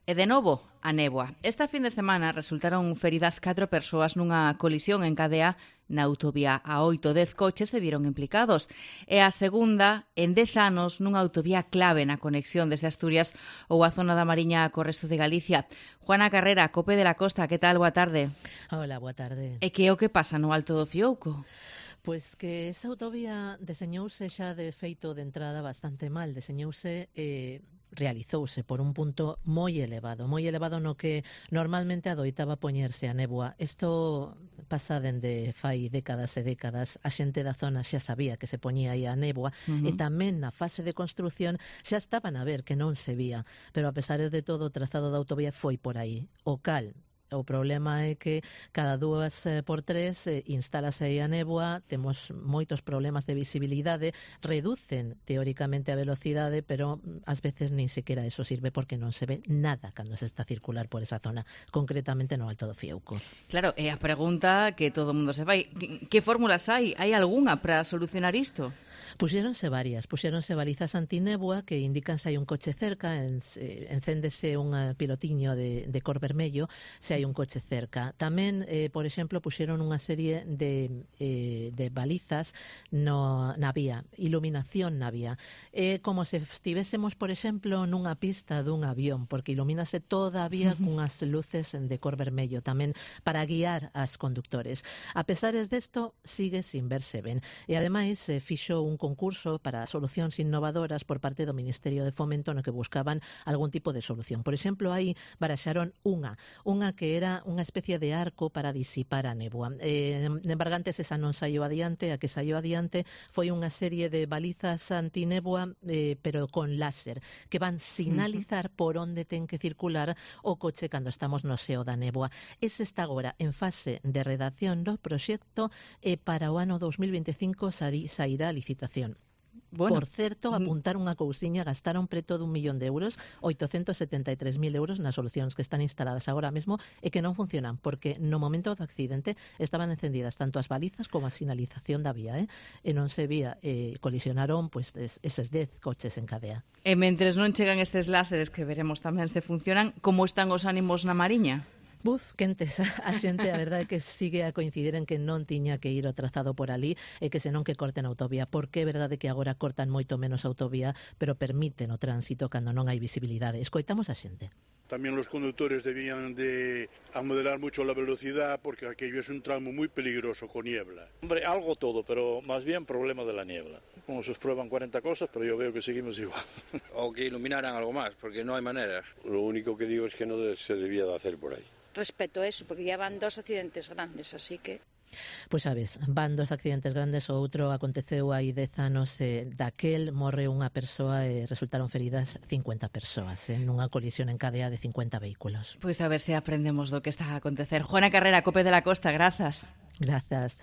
E de novo, a néboa. Esta fin de semana resultaron feridas 4 persoas nunha colisión en cadea na autovía A8. 10 coches se viron implicados. E a segunda, en 10 anos, nunha autovía clave na conexión desde Asturias ou a zona da Mariña co resto de Galicia. Juana Carrera, COPE de la Costa, que tal? Boa tarde. Hola, boa tarde. E que é o que pasa no Alto do Fiouco? Pois que esa autovía deseñouse xa de feito de entrada bastante mal. Deseñouse realizouse por un punto moi elevado no que normalmente adoitaba poñerse a néboa. Isto pasa dende fai décadas e décadas. A xente da zona xa sabía que se poñía aí a néboa e tamén na fase de construción xa estaban a ver que non se vía, pero a pesares de todo o trazado da autovía foi por aí. O problema é que cada 2 por 3 instálase aí a néboa, temos moitos problemas de visibilidade, reducen teóricamente a velocidade, pero ás veces nin sequera eso sirve porque non se ve nada cando se está a circular por esa zona, concretamente no Alto do Fiouco. Claro, é a pregunta que todo o mundo se fai. Que fórmulas hai? Hai algunha para solucionar isto? Puxéronse balizas antinéboa que indican se hai un coche cerca, encéndese un pilotiño de cor vermello se hai un coche cerca. Tamén, por exemplo, puxeron unha serie de balizas na vía, iluminación na vía. Como se estivésemos, por exemplo, nunha pista dun avión, porque ilumínase toda a vía cunhas luces de cor vermello, tamén para guiar as conductores. A pesares desto, sigue sin verse ben. E ademais, fixo un concurso para solucións innovadoras por parte do Ministerio de Fomento no que buscaban algún tipo de solución. Por exemplo, aí baraxaron unha que era unha especie de arco para disipar a néboa. En Bargantes esa non saiu adiante, a que saiu adiante foi unha serie de balizas antinéboa, pero con láser, que van sinalizar por onde ten que circular o coche cando estamos no seo da néboa. Ese está agora en fase de redacción do proxecto e para o ano 2025 sairá a licitación. Bueno, por certo, apuntar unha cousiña, gastaron preto d€1 millón, 873.000 euros nas solucións que están instaladas agora mesmo e que non funcionan, porque no momento do accidente estaban encendidas tanto as balizas como a sinalización da vía, e non se vía, colisionaron eses 10 coches en cadea. E mentres non chegan estes láseres, que veremos tamén se funcionan, como están os ánimos na Mariña? Quentes, a xente, a verdade é que sigue a coincidir en que non tiña que ir o trazado por ali e que senón que corten a autovía, porque é verdade que agora cortan moito menos a autovía, pero permiten o tránsito cando non hai visibilidade. Escoitamos a xente. También los conductores debían de modelar mucho la velocidad porque aquello es un tramo muy peligroso con niebla. Hombre, algo todo, pero más bien problema de la niebla. Como se prueban 40 cosas, pero yo veo que seguimos igual. O que iluminaran algo más, porque no hay manera. Lo único que digo es que no se debía de hacer por ahí. Respecto a eso, porque ya van 2 accidentes grandes, así que... Pois sabes, van 2 accidentes grandes, o outro aconteceu hai 10 anos, daquel morreu unha persoa e resultaron feridas 50 persoas, nunha colisión en cadea de 50 vehículos. Pois a ver se aprendemos do que está a acontecer. Juana Carrera, COPE de la Costa, grazas. Grazas.